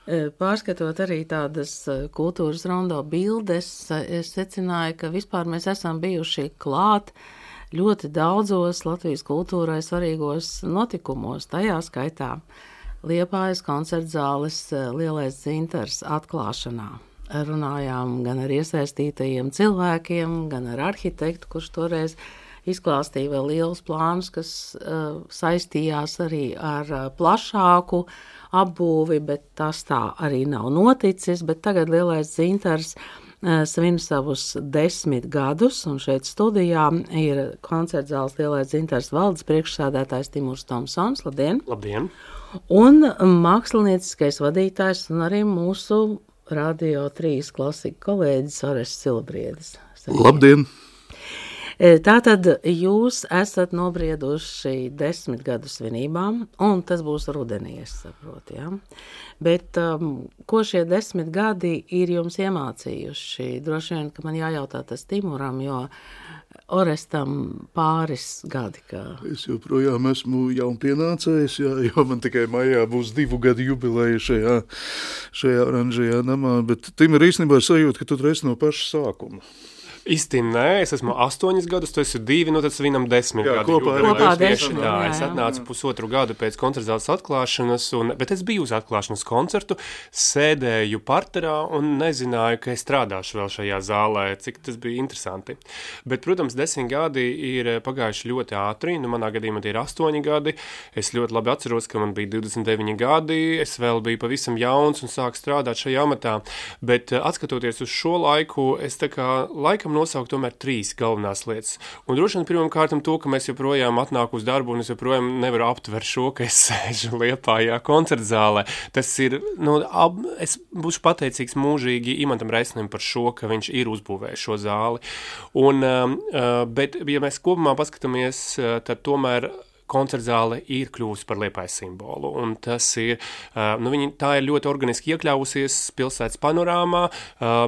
Pārskatot arī tādas kultūras rondo bildes, es secināju, ka vispār mēs esam bijuši klāt ļoti daudzos Latvijas kultūrai svarīgos notikumos, tajā skaitā Liepājas koncertzāles Lielais dzintars atklāšanā. Runājām gan ar iesaistītajiem cilvēkiem, gan ar arhitektu, kurš toreiz izklāstīja vēl lielus plānus, kas saistījās arī ar plašāku apbūvi, bet tas tā arī nav noticis, bet tagad Lielais dzintars svin savus 10 gadus, un šeit studijā ir koncertzāles Lielais dzintars valdes priekšsēdētājs Timurs Tomsons. Labdien! Labdien! Un mākslinieckais vadītājs un arī mūsu Radio 3 klasika kolēģis Orests Silabriedis. Labdien! Tātad jūs esat nobrieduši 10 gadu svinībām, un tas būs rudenī, es saprotu, ja? Bet ko šie 10 gadi ir jums iemācījuši? Droši vien, ka man jājautā tas Timuram, jo Orestam pāris gadi. Es joprojām esmu jaunpienācējs, jo man tikai maijā būs 2 gadu jubileja šajā oranžajā namā, bet Timur īstenībā ir sajūta, ka tu esi no paša sākuma. Īsti nē, es esmu 8 gadus, tu esi 2, nu tad svinam 10 gadu. Kopā 10, jā. Es atnācu pusotru gadu pēc koncertzāles atklāšanas, bet es biju uz atklāšanas koncertu, sēdēju parterā un nezināju, ka es strādāšu vēl šajā zālē, cik tas bija interesanti. Bet, protams, 10 gadi ir pagājuši ļoti ātri, nu manā gadījumā tie ir 8 gadi, es ļoti labi atceros, ka man bija 29 gadi, es vēl biju pavisam jauns un sāku strādāt šajā amatā, bet atskatoties uz šo laiku, es tā kā laikam nosaukt tomēr 3 galvenās lietas. Un droši vien pirmām kārtam to, ka mēs joprojām atnāku uz darbu un es joprojām nevaru aptvert šo, ka es sēžu Liepājā koncertzālē. Tas ir, es būšu pateicīgs mūžīgi Imantam Reisnim par šo, ka viņš ir uzbūvējis šo zāli. Un, bet, ja mēs kopumā paskatāmies, tad tomēr koncertzāle ir kļuvusi par Liepājas simbolu, un tas ir, tā ir ļoti organiski iekļāvusies pilsētas panorāmā.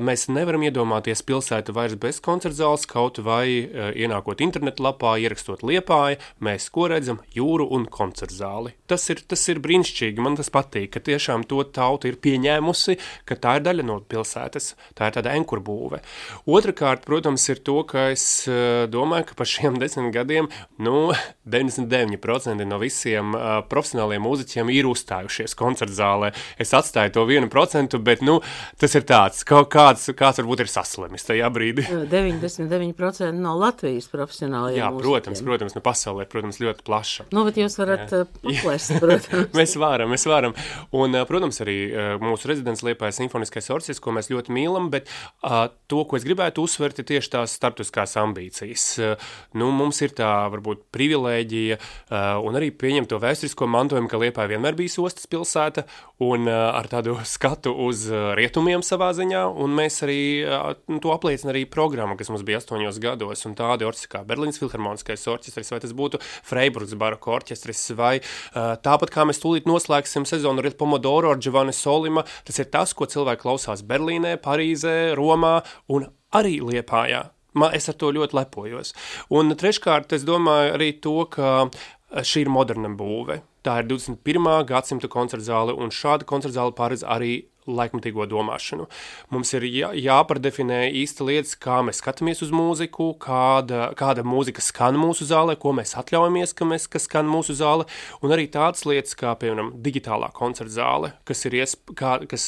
Mēs nevaram iedomāties pilsētu vairs bez koncertzāles, kaut vai ienākot internetu lapā, ierakstot Liepāja, mēs ko redzam? Jūru un koncertzāli. Tas ir brīnišķīgi, man tas patīk, ka tiešām to tauta ir pieņēmusi, ka tā ir daļa no pilsētas, tā ir tāda enkurbūve. Otrakārt, protams, ir to, ka es domāju, ka par šiem 10 gadiem, 99% no visiem profesionāliem mūziķiem ir uzstājušies koncertzālē. Es atstāju to 1%, bet, tas ir tāds, kāds varbūt ir saslimis tajā brīdī. 99% no Latvijas profesionālajiem mūziķiem. Jā, protams, pasaulē, protams, ļoti plaša. Bet jūs varat paklēst, protams. Mēs varam. Un, protams, arī mūsu rezidents Liepājas simfoniskais orķestris, ko mēs ļoti mīlam, bet to, ko es gribētu uzsvert, ir tieši tās starptautiskās ambīcijas. Mums ir tā, varbūt, privilēģija un arī pieņemt to vēsturisko mantojumu, ka Liepāja vienmēr bijis ostas pilsēta un ar tādu skatu uz rietumiem savā ziņā, un mēs arī, to apliecina arī programma, kas mums bija 8 gados, un tādi orķestri kā Berlīnas filharmoniskais orķestris, vai tas būtu Freiburgas baroka orķestris, vai tāpat kā mēs tūlīt noslēgsim sezonu ar Il Pomodoro ar Giovanni Solima, tas ir tas, ko cilvēki klausās Berlīnē, Parīzē, Romā un arī Liepājā. Es ar to ļoti lepojos. Un treškārt, es domāju arī to, ka šī ir moderna būve. Tā ir 21. gadsimta koncertzāle, un šāda koncertzāle paredz arī laikmatīgo domāšanu. Mums ir jāpardefinē īsta lietas, kā mēs skatāmies uz mūziku, kāda mūzika skan mūsu zālē, ko mēs atļaujamies, ka skan mūsu zāle, un arī tādas lietas, kā, piemēram, digitālā koncertzāle, kas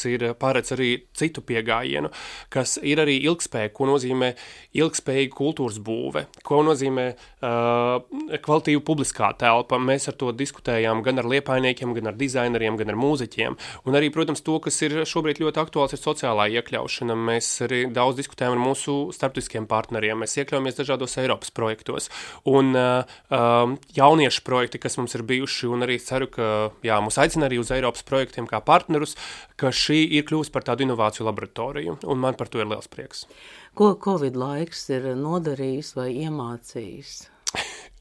ir paredz arī citu piegājienu, kas ir arī ilgspēja, ko nozīmē ilgspējīga kultūras būve, ko nozīmē kvalitīva publiskā telpa. Mēs ar to diskutējām gan ar liepājniekiem, gan ar dizaineriem, gan ar mūziķiem, un arī, protams, to, kas ir šobrīd ļoti aktuāls ir sociālā iekļaušana. Mēs arī daudz diskutējam ar mūsu starptautiskiem partneriem. Mēs iekļaujamies dažādos Eiropas projektos. Un jauniešu projekti, kas mums ir bijuši, un arī ceru, ka mūs aicina arī uz Eiropas projektiem kā partnerus, ka šī ir kļūst par tādu inovāciju laboratoriju. Un man par to ir liels prieks. Ko Covid laiks ir nodarījis vai iemācījis?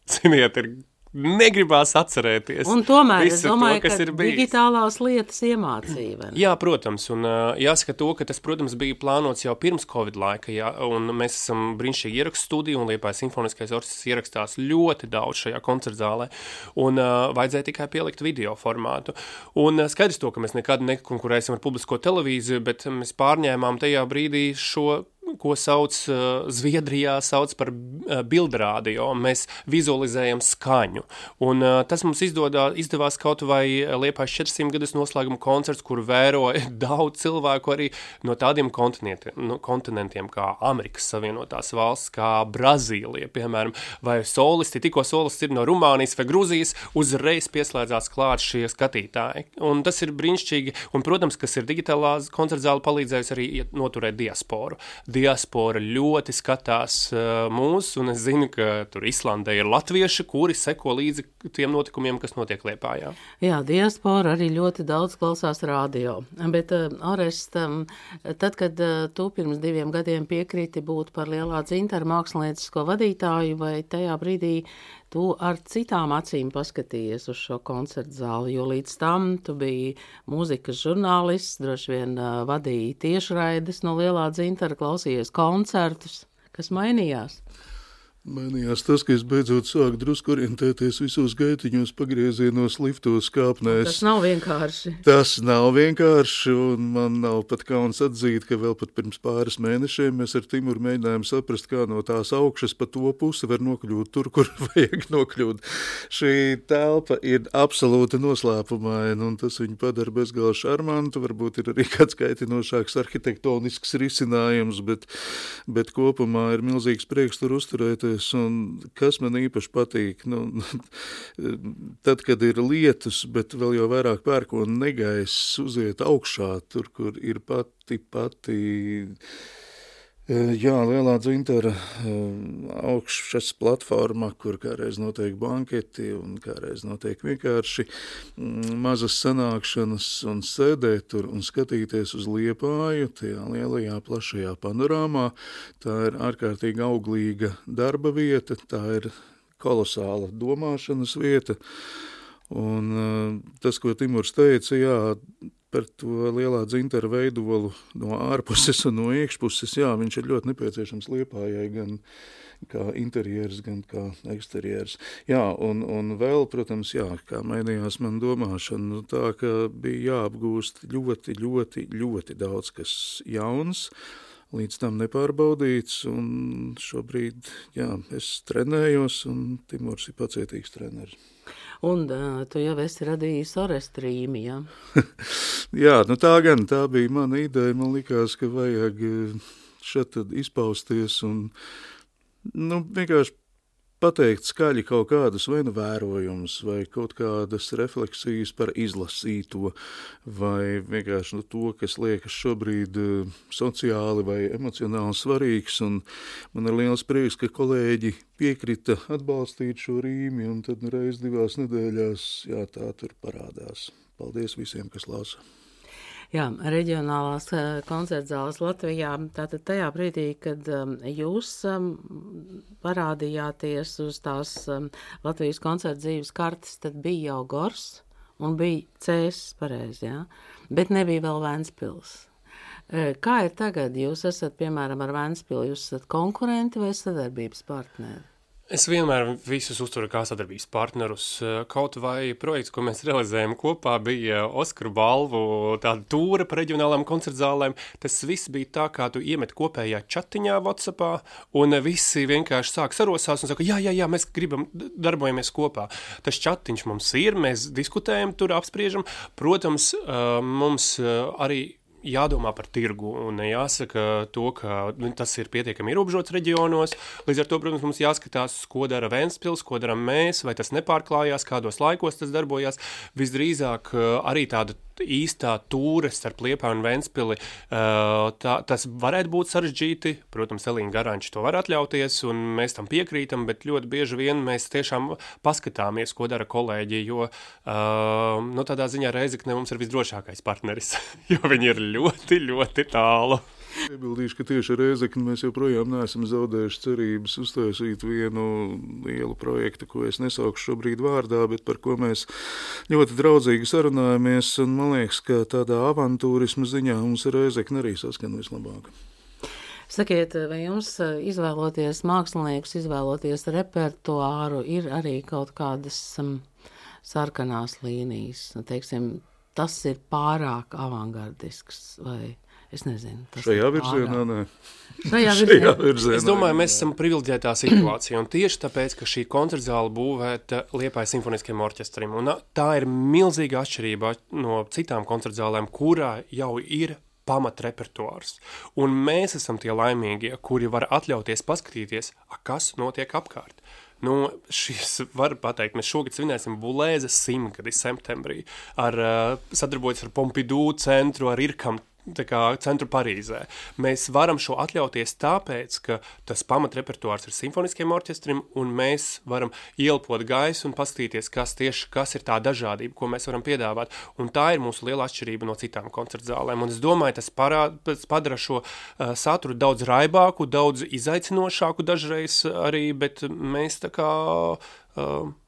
Ziniet, ir negribās atcerēties. Un tomēr visu es domāju, to, kas ka ir bijis. digitālās lietas iemācīja. Jā, protams, un jāsaka to, ka tas, protams, bija plānots jau pirms Covid laika, jā, un mēs esam brīnišķīgi ierakstu studiju, un Liepājas simfoniskais orķestris ierakstās ļoti daudz šajā koncertzālē, un vajadzēja tikai pielikt video formātu. Un skaidrs to, ka mēs nekad nekonkurēsim ar publisko televīziju, bet mēs pārņēmām tajā brīdī šo, ko Zviedrijā sauc par bildradio. Mēs vizualizējam skaņu. Un tas mums izdevās kaut vai Liepājas 400 gadus noslēguma koncerts, kur vēroja daudz cilvēku arī no tādiem kontinentiem kā Amerikas Savienotās valsts, kā Brazīlija, piemēram, vai solisti, tikko solisti ir no Rumānijas vai Gruzijas, uzreiz pieslēdzās klāt šie skatītāji. Un tas ir brīnišķīgi, un, protams, kas ir digitālā koncertzāle palīdzējusi arī noturēt diasporu. Diaspora ļoti skatās mūs, un es zinu, ka tur Islandē ir latvieši, kuri seko līdzi tiem notikumiem, kas notiek Liepājā. Jā, diaspora arī ļoti daudz klausās radio. Bet, Orest, tad, kad tu pirms 2 gadiem piekriti būt par Lielā Dzintara māksliniecisko vadītāju, vai tajā brīdī tu ar citām acīm paskatījies uz šo koncertu zāli, jo līdz tam tu biji mūzikas žurnālists, droši vien vadīji tiešraides no Lielā Dzintara, klausījies koncertus, kas mainījās? Mainījās tas, ka es beidzot sāku drusku orientēties visos gaitiņos, pagriezienos, liftos, kāpnēs. Tas nav vienkārši. Tas nav vienkārši, un man nav pat kauns atzīt, ka vēl pat pirms pāris mēnešiem mēs ar Timuru mēģinājām saprast, kā no tās augšas pa to pusi var nokļūt tur, kur vajag nokļūt. Šī telpa ir absolūti noslēpumaina, un tas viņu padara bezgalīgi šarmantu. Varbūt ir arī kāds kaitinošāks arhitektonisks risinājums, bet kopumā ir milzīgs prieks tur uzturēties. Un kas man īpaši patīk, tad, kad ir lietus, bet vēl jau vairāk pērkona negaiss, uziet augšā, tur, kur ir pati, Lielā Dzintara augšas platforma, kur kādreiz notiek banketi un kādreiz notiek vienkārši mazas sanākšanas un sēdēt tur un skatīties uz Liepāju, tajā lielajā plašajā panorāmā. Tā ir ārkārtīgi auglīga darba vieta, tā ir kolosāla domāšanas vieta. Un tas, ko Timurs teica, jā, par to Lielā Dzintara veidolu no ārpuses un no iekšpuses, jā, viņš ir ļoti nepieciešams Liepājai gan kā interjers, gan kā eksterjers. Jā, un vēl, protams, jā, kā mainījās man domāšana, tā, ka bija jāapgūst ļoti, ļoti, ļoti daudz kas jauns, līdz tam nepārbaudīts, un šobrīd, jā, es trenējos, un Timurs ir pacietīgs treneris. Un tu jau esi radījis Orestrīmi, jā? Jā, tā bija mana ideja. Man likās, ka vajag šeit tad izpausties un vienkārši pateikt skaļi kaut kādus vai vērojumus, vai kaut kādas refleksijas par izlasīto, vai vienkārši to, kas liekas šobrīd sociāli vai emocionāli svarīgs. Un man ir liels prieks, ka kolēģi piekrita atbalstīt šo Rīmi, un tad reiz 2 nedēļās, jā, tā tur parādās. Paldies visiem, kas lasa. Jā, reģionālās koncertzāles Latvijā, tātad tajā brīdī, kad jūs parādījāties uz tās Latvijas koncerta dzīves kartes, tad bija jau Gors un bija Cēsis, pareizi, jā, bet nebija vēl Ventspils. Kā ir tagad? Jūs esat, piemēram, ar Ventspili, jūs esat konkurenti vai sadarbības partneri? Es vienmēr visus uzturu kā sadarbības partnerus. Kaut vai projekts, ko mēs realizējam kopā, bija Oskaru balvu tāda tūra par reģionālām koncertzālēm. Tas viss bija tā, kā tu iemet kopējā čatiņā WhatsAppā, un visi vienkārši sāk sarosās un saka, jā, mēs gribam, darbojamies kopā. Tas čatiņš mums ir, mēs diskutējam, tur apspriežam. Protams, mums arī jādomā par tirgu un jāsaka to, ka tas ir pietiekami ierobežots reģionos. Līdz ar to, protams, mums jāskatās, ko dara Ventspils, ko daram mēs, vai tas nepārklājās, kādos laikos tas darbojās. Visdrīzāk arī tāda īstā tūre starp Liepāju un Ventspili, tas varētu būt sarežģīti. Protams, Elīna Garanča to var atļauties, un mēs tam piekrītam, bet ļoti bieži vien mēs tiešām paskatāmies, ko dara kolēģi, jo tādā ziņā Reizekne mums ir visdrošākais partneris, jo viņi ir ļoti, ļoti tālu. Iebildīšu, ka tieši ar Rēzekni mēs joprojām neesam zaudējuši cerības uztaisīt vienu lielu projektu, ko es nesaukšu šobrīd vārdā, bet par ko mēs ļoti draudzīgi sarunājamies, un man liekas, ka tādā avantūrisma ziņā mums ar Rēzekni arī saskan vislabāk. Sakiet, vai jums izvēloties māksliniekus, izvēloties repertuāru, ir arī kaut kādas sarkanās līnijas? Teiksim, tas ir pārāk avangardisks vai es nezinu. Šajā virzienā, nē. Šajā virzienā. Es domāju, mēs esam privileģētā situācijā, un tieši tāpēc, ka šī koncertzāle būvēta Liepājas simfoniskajam orķestrim, un tā ir milzīga atšķirība no citām koncertzālēm, kurā jau ir pamatrepertuārs. Un mēs esam tie laimīgie, kuri var atļauties paskatīties, kas notiek apkārt. Šis var pateikt, mēs šogad svinēsim Bulēzes 100 septembrī, sadarbojas ar Pompidou centru, ar IRKAM centru Parīzē. Mēs varam šo atļauties tāpēc, ka tas pamatrepertuārs ir simfoniskiem orķestrim, un mēs varam ielpot gaisu un paskatīties, kas ir tā dažādība, ko mēs varam piedāvāt. Un tā ir mūsu liela atšķirība no citām koncertzālēm. Un es domāju, tas padara šo saturu daudz raibāku, daudz izaicinošāku dažreiz arī, bet mēs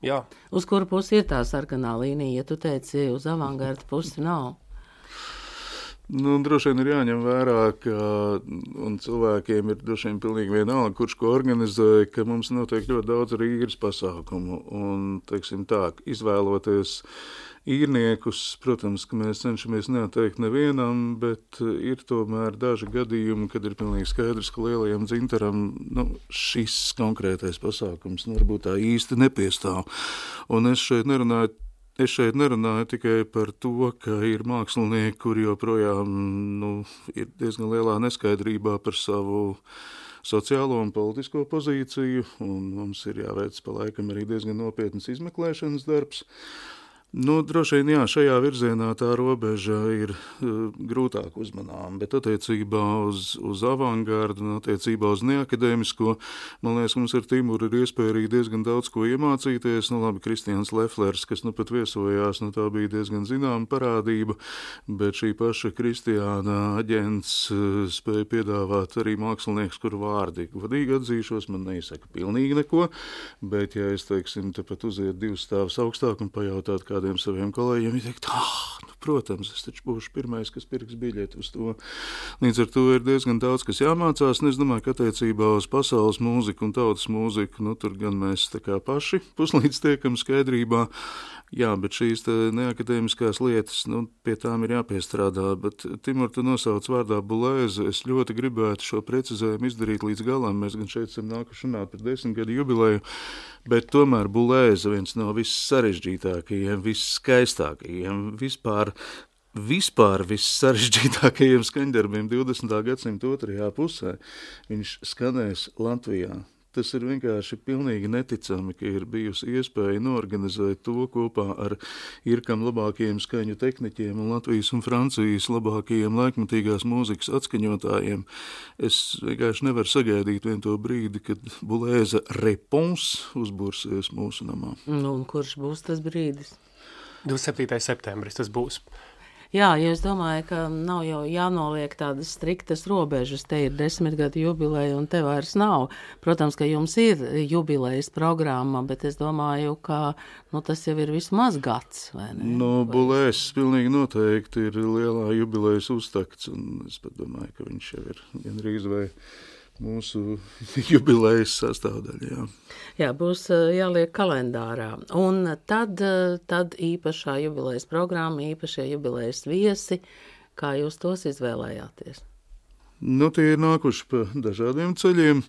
jā. Uz kuru pusi ir tā sarkanā līnija? Ja tu teici, uz avangarda pusi nav. Droši vien ir jāņem vērā, ka cilvēkiem ir droši vien pilnīgi vienalga, kurš ko organizē, ka mums notiek ļoti daudz arī īres pasākumu. Un, teiksim tā, izvēloties īrniekus, protams, ka mēs cenšamies neateikt nevienam, bet ir tomēr daži gadījumi, kad ir pilnīgi skaidrs, ka lielajam dzintaram šis konkrētais pasākums varbūt tā īsti nepiestāv. Un es šeit nerunāju tikai par to, ka ir mākslinieki, kuri joprojām ir diezgan lielā neskaidrībā par savu sociālo un politisko pozīciju, un mums ir jāveic pa laikam arī diezgan nopietnas izmeklēšanas darbs. Droši vien, jā, šajā virzienā tā robeža ir grūtāk uzmanām, bet attiecībā uz avangardu un attiecībā uz neakadēmisko, man liekas, mums ar Timuru ir iespēja arī diezgan daudz ko iemācīties. Labi, Kristians Leflers, kas pat viesojās, tā bija diezgan zināma parādība, bet šī paša Kristiāna aģents spēja piedāvāt arī mākslinieks, kur vārdi vadīgi atzīšos, man neizsaka pilnīgi neko, bet, ja es, teiksim, tepat uziet 2 stāvus augstāk un pajautāt kādiem saviem kolēģiem, viņi teikt, protams, es taču būšu pirmais, kas pirks biļeti uz to. Līdz ar to ir diezgan daudz, kas jāmācās, un es domāju, ka attiecībā uz pasaules mūziku un tautas mūziku, tur gan mēs tā kā paši puslīdz tiekam skaidrībā. Jā, bet šīs neakadēmiskās lietas, pie tām ir jāpiestrādā, bet Timur, tu nosauc vārdā Bulēze, es ļoti gribētu šo precizējumu izdarīt līdz galam, mēs gan šeit esam nākuši runāt par 10 gadu jubileju, bet tomēr Bulēze viens no vissarežģītākajiem, visskaistākajiem, vispār vissarežģītākajiem skaņdarbiem 20. gadsimta otrajā pusē, viņš skanēs Latvijā. Tas ir vienkārši pilnīgi neticami, ka ir bijusi iespēja norganizēt to kopā ar IRKAM labākajiem skaņu tehniķiem un Latvijas un Francijas labākajiem laikmatīgās mūzikas atskaņotājiem. Es vienkārši nevaru sagaidīt vien to brīdi, kad Bulēze Repons uzbursies mūsu namā. Un kurš būs tas brīdis? 27. septembris tas būs. Jā, jo es domāju, ka nav jau jānoliek tādas striktas robežas, te ir 10 gadu jubileja un te vairs nav. Protams, ka jums ir jubilejas programma, bet es domāju, ka tas jau ir vismaz gads, vai ne? Bulēs pilnīgi noteikti ir lielā jubilejas uztakts, un es pat domāju, ka viņš jau ir gandrīz vai mūsu jubilejas sastāvdaļa. Jā, būs jāliek kalendārā. Un tad īpašā jubilejas programma, īpašie jubilejas viesi, kā jūs tos izvēlējāties? Tie ir nākuši pa dažādiem ceļiem.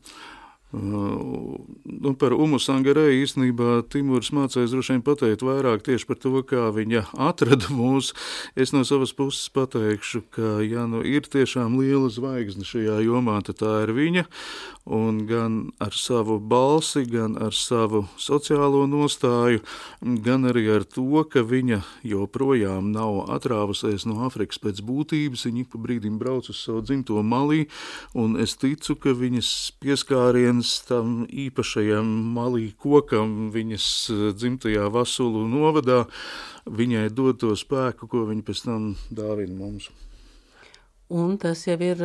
Par Umu Sangarē īstenībā Timurs mācējis droši vien pateikt vairāk tieši par to, kā viņa atrada mūs. Es no savas puses pateikšu, ka ir tiešām liela zvaigzne šajā jomā, tad tā ir viņa, un gan ar savu balsi, gan ar savu sociālo nostāju, gan arī ar to, ka viņa joprojām nav atrāvusies no Afrikas pēc būtības, viņa ik pa brīdim brauc uz savu dzimto Malī, un es ticu, ka viņas pieskāriens tam īpašajam Malī kokam viņas dzimtajā Vasulu novadā, viņai dod to spēku, ko viņa pēc tam dāvina mums. Un tas jau ir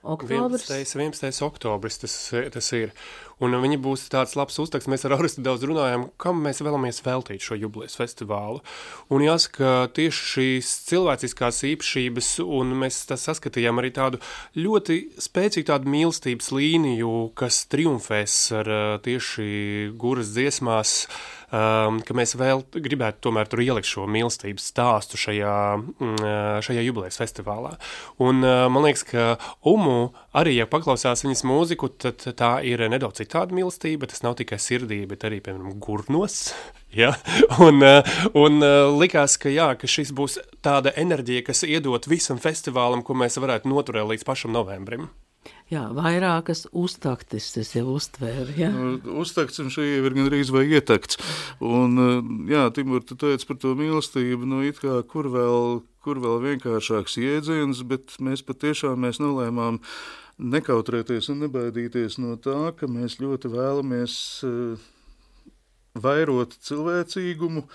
oktobris. 11. oktobris tas ir. Un viņi būs tāds labs uztaks. Mēs ar Auristu daudz runājam, kam mēs vēlamies veltīt šo jubilejas festivālu. Un jāsaka, tieši šīs cilvēciskās īpašības, un mēs saskatījām arī tādu ļoti spēcīgu tādu mīlestības līniju, kas triumfēs ar tieši guras dziesmās, ka mēs vēl gribētu tomēr tur ielikt šo mīlestības stāstu šajā jubilejas festivālā. Un man liekas, ka Umu arī, ja paklausās viņas mūziku, tad tā ir nedaudz citāda mīlestība, tas nav tikai sirdī, bet arī, piemēram, gurnos. Ja? Un likās, ka šis būs tāda enerģija, kas iedot visam festivālam, ko mēs varētu noturēt līdz pašam novembrim. Jā, vairākas uztaktis es jau uztvēru, jā. Uztakts un šī ir gandrīz vai ietakts. Un, jā, Timur, tu teici par to mīlestību, it kā kur vēl vienkāršāks jēdziens, bet mēs patiešām nolēmām nekautrēties un nebaidīties no tā, ka mēs ļoti vēlamies vairot cilvēcīgumu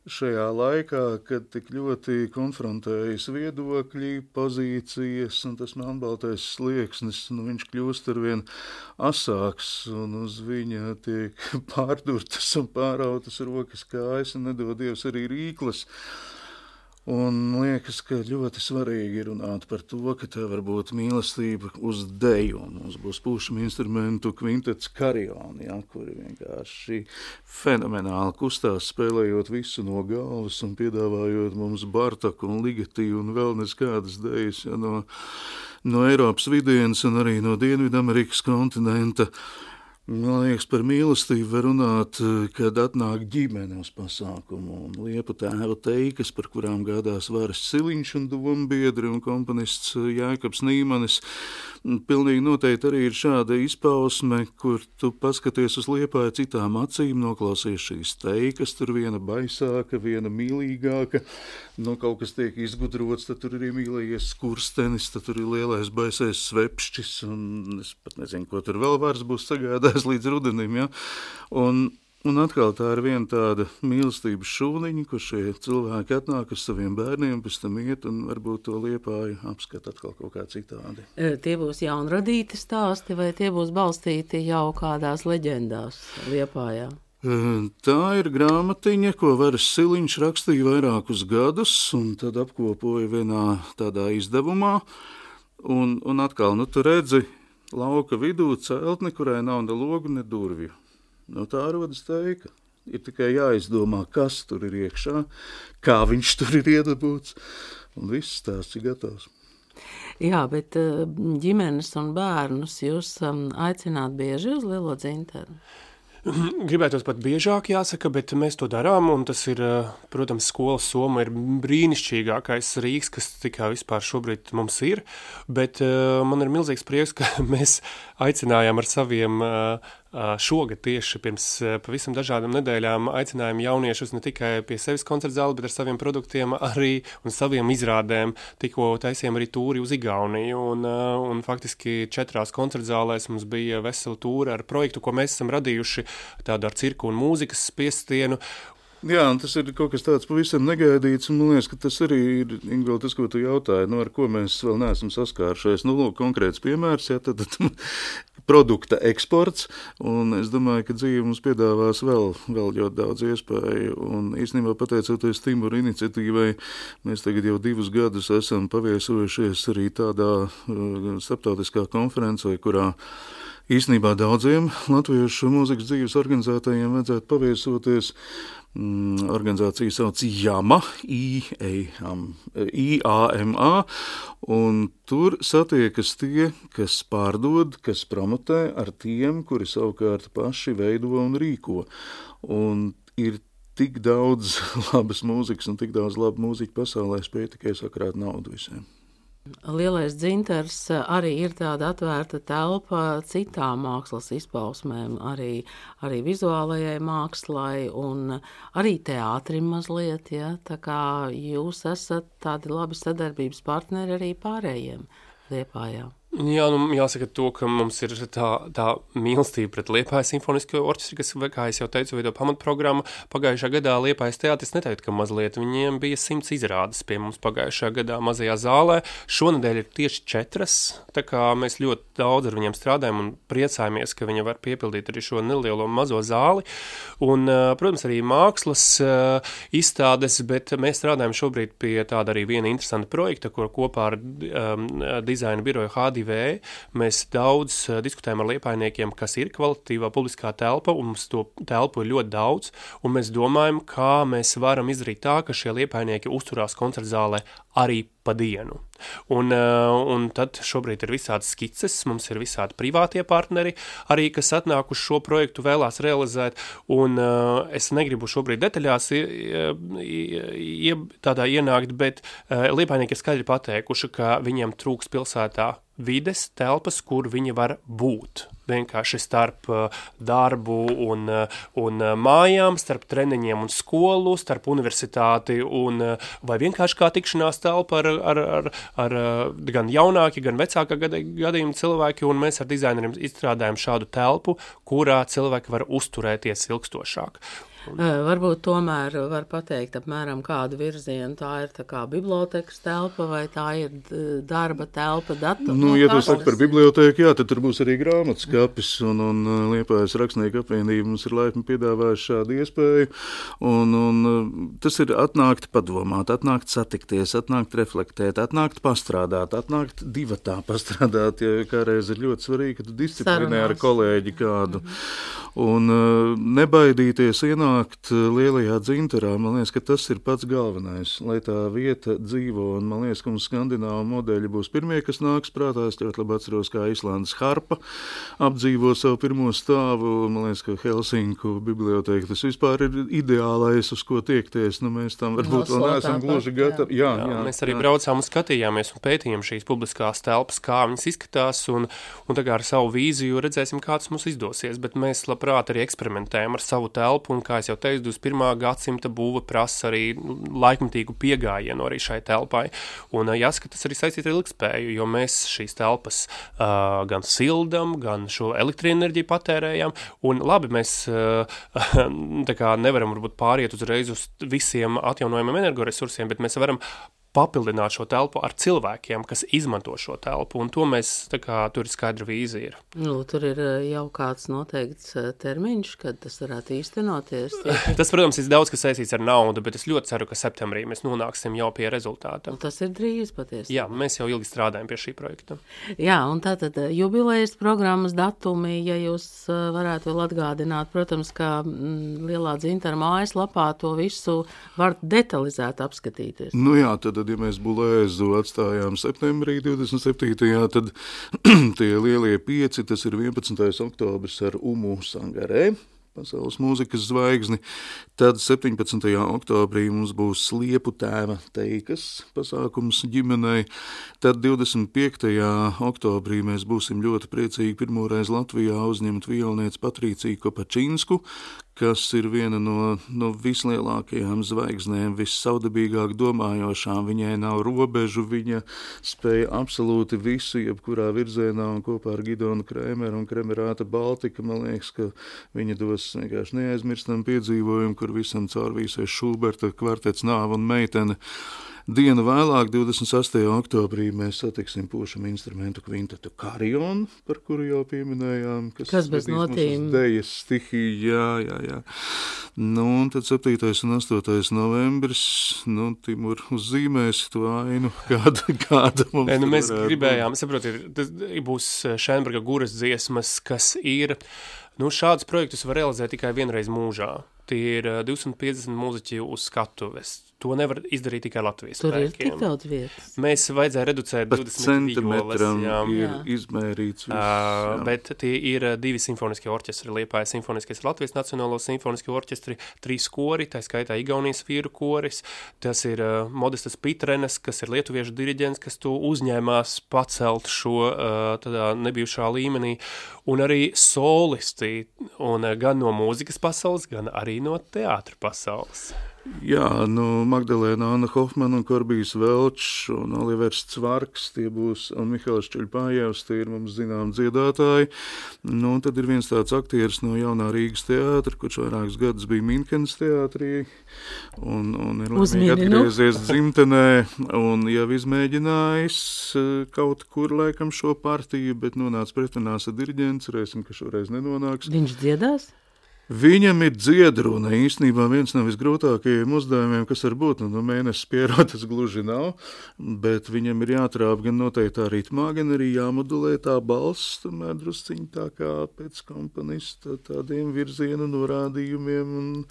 šajā laikā, kad tik ļoti konfrontējas viedokļi, pozīcijas, un tas melnbaltais slieksnis, viņš kļūst arvien asāks, un uz viņa tiek pārdurtas un pārautas rokas, kājas, un nedod Dievs arī rīklas. Un liekas, ka ļoti svarīgi ir runāt par to, ka tā var būt mīlestība uz deju. Mums būs pušam instrumentu kvintets Karioni, kuri vienkārši fenomenāli kustās, spēlējot visu no galvas un piedāvājot mums Bartoku un Ligetiju un vēl neskādas dejas no Eiropas vidienas un arī no Dienvidamerikas kontinenta. Man liekas, par mīlestību var runāt, kad atnāk ģimene uz pasākumu, un liepu tēva teikas, par kurām gādās Vāris Siliņš un dombiedri un komponists Jākabs Nīmanis. Pilnīgi noteikti arī ir šāda izpausme, kur tu paskaties uz Liepāju citām acīm, noklausies šīs teikas, tur viena baisāka, viena mīlīgāka, kaut kas tiek izgudrots, tad tur ir mīlējies skurstenis, tad tur ir lielais baisais svepšķis, un es pat nezinu, ko tur vēl vairs būs sagādājis līdz rudenim, ja? Un atkal tā ir viena tāda mīlestības šūniņa, kur šie cilvēki atnāk ar saviem bērniem, pēc tam iet un varbūt to Liepāju apskata atkal kaut kā citādi. Tie būs jaunradīti stāsti vai tie būs balstīti jau kādās leģendās Liepājā? Tā ir grāmatiņa, ko Vāris Siliņš rakstīja vairākus gadus un tad apkopoja vienā tādā izdevumā. Un atkal, tu redzi lauka vidū celtni, kurai nav ne logu, ne durvju. Tā rodas teika. Ir tikai jāizdomā, kas tur ir iekšā, kā viņš tur ir iedabūts, un viss stāsts ir gatavs. Jā, bet ģimenes un bērnus jūs aicināt bieži uz Lielo dzinteru? Gribētos pat biežāk jāsaka, bet mēs to darām, un tas ir, protams, skolas Soma ir brīnišķīgākais rīks, kas tikai vispār šobrīd mums ir, bet man ir milzīgs prieks, ka mēs aicinājām ar saviem šogad tieši pirms pavisam dažādām nedēļām aicinājām jauniešus ne tikai pie sevis koncerta zāli, bet ar saviem produktiem arī un saviem izrādēm. Tikko taisījām arī tūri uz Igauniju un faktiski 4 koncerta zālēs mums bija vesela tūra ar projektu, ko mēs esam radījuši, tādu ar cirku un mūzikas spiestienu. Jā, un tas ir kaut kas tāds pavisam negaidīts, un man liekas, ka tas arī ir, Ingvild, tas, ko tu jautāji, ar ko mēs vēl neesam saskāršies. Lūk, konkrēts piemērs, tad produkta eksports, un es domāju, ka dzīve mums piedāvās vēl ļoti daudz iespēju, un īstenībā pateicoties Timura iniciatīvai, mēs tagad jau 2 gadus esam paviesojušies arī tādā starptautiskā konferencē, kurā īstenībā daudziem latviešu mūzikas dzīves organizētājiem vajadzētu paviesoties. Organizācija sauc JAMA, IAMA, un tur satiekas tie, kas pārdod, kas promotē ar tiem, kuri savukārt paši veido un rīko. Un ir tik daudz labas mūzikas un tik daudz labu mūziku pasaulē, spēj tikai sakrāt naudu visiem. Lielais dzinters arī ir tāda atvērta telpa citām mākslas izpausmēm, arī vizuālajai mākslai un arī teātrim mazliet, ja? Tā kā jūs esat tādi labi sadarbības partneri arī pārējiem Liepājā. Jā, jāsaka to, ka mums ir tā mīlestība pret Liepājas simfonisko orķestri, kas, kā es jau teicu, veido pamatprogrammu. Pagājušā gadā Liepājas teātris neteikt, ka mazliet viņiem bija 100 izrādes pie mums pagājušā gadā mazajā zālē. Šonedēļ ir tieši 4, tā kā mēs ļoti daudz ar viņiem strādājam un priecājamies, ka viņi var piepildīt arī šo nelielo mazo zāli. Un, protams, arī mākslas izstādes, bet mēs strādājam šobrīd pie tāda arī viena interesanta projekta, kur kopā ar dizaina biroju HD mēs daudz diskutējam ar liepājniekiem, kas ir kvalitatīvā publiskā telpa, un mums to telpu ir ļoti daudz, un mēs domājam, kā mēs varam izdarīt tā, ka šie liepājnieki uzturās koncertzālē arī pa dienu. Un tad šobrīd ir visādas skices, mums ir visādi privātie partneri, arī kas atnāk uz šo projektu vēlās realizēt, un es negribu šobrīd detaļās tādā ienākt, bet liepājnieki ir skaidri pateikuši, ka viņiem trūks pilsētā vides, telpas, kur viņi var būt. Vienkārši starp darbu un mājām, starp treniņiem un skolu, starp universitāti un vai vienkārši kā tikšanās telpa ar gan jaunāki, gan vecākā gadījuma cilvēki, un mēs ar dizaineriem izstrādājam šādu telpu, kurā cilvēki var uzturēties ilgstošāk. Varbūt tomēr var pateikt apmēram kādu virzienu, tā ir tā kā bibliotekas telpa vai tā ir darba telpa, datu. Ja tu saki par bibliotēku, jā, tad tur būs arī grāmatas kapis un Liepājas rakstnieku apvienība mums ir laipni piedāvājuši šādu iespēju, un tas ir atnākt padomāt, atnākt satikties, atnākt reflektēt, atnākt pastrādāt, atnākt divatā pastrādāt, ja kādreiz ir ļoti svarīgi, ka tu disciplinē ar kolēģi kādu. Un nebaidīties ienākt lielajā dzintarā, man liekas, ka tas ir pats galvenais, lai tā vieta dzīvo, un man liekas, ka mums skandināvu modeļi būs pirmie, kas nāks prātā. Es ļoti labi atceros, kā Islandes harpa apdzīvo savu pirmo stāvu, un man liekas, ka Helsinku biblioteka tas vispār ir ideālais, uz ko tiekties, mēs tam varbūt vēl neesam gluži gatavi. Jā, mēs arī braucām un skatījāmies un pētījām šīs publiskās telpas, kā viņas izskatās, un tagad ar savu vīziju redzēsim, kā tas mums izdosies, bet mēs labprāt arī eksperimentējam ar savu telpu, un, kā es jau teicu, 21. gadsimta būva prasa arī laikmatīgu piegājienu arī šai telpai, un jāsaka, tas arī saistīt ar ilgspēju, jo mēs šīs telpas gan sildam, gan šo elektroenerģiju patērējam, un labi, mēs tā kā nevaram varbūt pāriet uzreiz uz visiem atjaunojumiem energoresursiem, bet mēs varam papildināt šo telpu ar cilvēkiem, kas izmanto šo telpu, un to mēs, tā kā, tur ir skaidra vīzija. Tur ir jau kāds noteikts termiņš, kad tas varētu īstenoties. Tas, protams, ir daudz, kas saistīts ar naudu, bet es ļoti ceru, ka septembrī mēs nonāksim jau pie rezultāta. Tas ir drīz patiesi. Jā, mēs jau ilgi strādājam pie šī projekta. Jā, un tātad jubilejas programmas datumi, ja jūs varētu vēl atgādināt, protams, ka Lielā dzintara mājaslapā to visu var detalizēt apskatīties. Jā, tad ja mēs Bulēzu atstājām septembrī 27. tad tie lielie 5, tas ir 11. oktobris ar Umu Sangarē, pasaules mūzikas zvaigzni. Tad 17. oktobrī mums būs Sliepu tēva teikas pasākums ģimenei. Tad 25. oktobrī mēs būsim ļoti priecīgi pirmoreiz Latvijā uzņemt violnieci Patrīciju Kopačinsku, kas ir viena no vislielākajām zvaigznēm, vissaudabīgāk domājošām. Viņai nav robežu, viņa spēja absolūti visu, jebkurā virzienā, un kopā ar Gidonu Krēmeru un Kremerāta Baltika, man liekas, ka viņa dos vienkārši neaizmirstam piedzīvojumu, kur visam caurvīsies Šuberta kvartets Nāva un meitene. Dienu vēlāk, 28. oktobrī, mēs satiksim pušam instrumentu kvintetu Karionu, par kuru jau pieminējām, kas bez notīm. Dejas stihija, jā. Un tad 7. un 8. novembris, Timur, uzzīmēs to ainu, kāda mums mēs gribējām, saprotiet, tas būs Šēnberga Guras dziesmas, kas ir, šādus projektus var realizēt tikai vienreiz mūžā. Tie ir 250 mūziķi uz skatuves. To nevar izdarīt tikai Latvijas spēkiem. Tur ir tik daudz vietas. Mēs vajadzēja reducēt 20 centimetram ir izmērīts viss. Bet tie ir 2 simfoniskie orķestri, Liepājas simfoniskais Latvijas Nacionālo simfoniskie orķestri, 3 kori, tā skaitā Igaunijas vīru koris. Tas ir Modestas Pitrenes, kas ir lietuviešu diriģents, kas to uzņēmās pacelt šo tādā nebijušā līmenī. Un arī solisti, un gan no mūzikas pasaules, gan arī no teātra pasaules. Jā, Magdalēna Anna Hofmana un Korbijs Velčs un Olivers Cvarks, tie būs, un Mihails Čuļpājevs, tie ir mums zinām dziedātāji. Un tad ir viens tāds aktieris no Jaunā Rīgas teātra, kurš vairākus gadus bija Minhenes teātrī, un ir laimīgi atgriezies dzimtenē, un jau izmēģinājis kaut kur laikam šo partiju, bet nonāca pretinās ar diriģentu, cerēsim, ka šoreiz nenonāks. Viņš dziedās? Viņam ir dziedruna, īstenībā viens no visgrūtākajiem uzdevumiem, kas var būt, mēnesis pierot, tas gluži nav, bet viņam ir jātrāp gan noteiktā ritmā, gan arī jāmodulē tā balss, tomēr drusciņi tā kā pēc komponista tādiem virzienu norādījumiem, un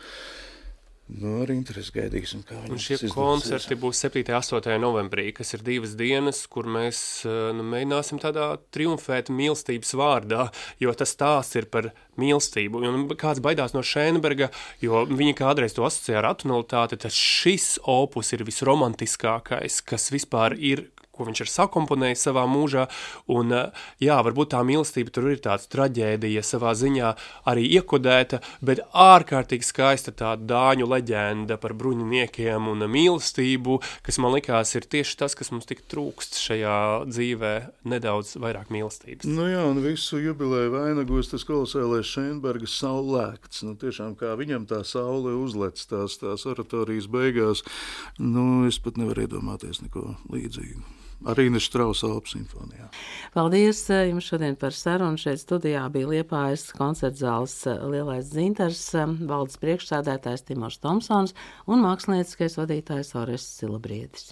ar interesi gaidīsim, kā viņam šie koncerti būs 7. un 8. novembrī, kas ir 2 dienas, kur mēs mēģināsim tādā triumfēt mīlestības vārdā, jo tas stāsts ir par mīlestību. Un kāds baidās no Šēnberga, jo viņi kādreiz to asociē ar atonalitāti, tad šis opus ir visromantiskākais, kas vispār ir, ko viņš ir sakomponējis savā mūžā, un jā, varbūt tā mīlestība tur ir tāds traģēdija savā ziņā arī iekodēta, bet ārkārtīgi skaista tā dāņu leģenda par bruņiniekiem un mīlestību, kas man likās ir tieši tas, kas mums tik trūkst šajā dzīvē, nedaudz vairāk mīlestības. Jā, un visu jubilēju vainagos tas kolosālais Šēnberga saulēkts, tiešām kā viņam tā saule uzlec tās oratorijas beigās, es pat nevaru iedomāties neko līdzīgu. Arī Inese Štrausa Alpu simfonijā. Paldies jums šodien par sarunu. Šeit studijā bija Liepājas koncertzāles Lielais dzintars, valdes priekšsēdētājs Timurs Tomsons un mākslinieckais vadītājs Orests Silabriedis.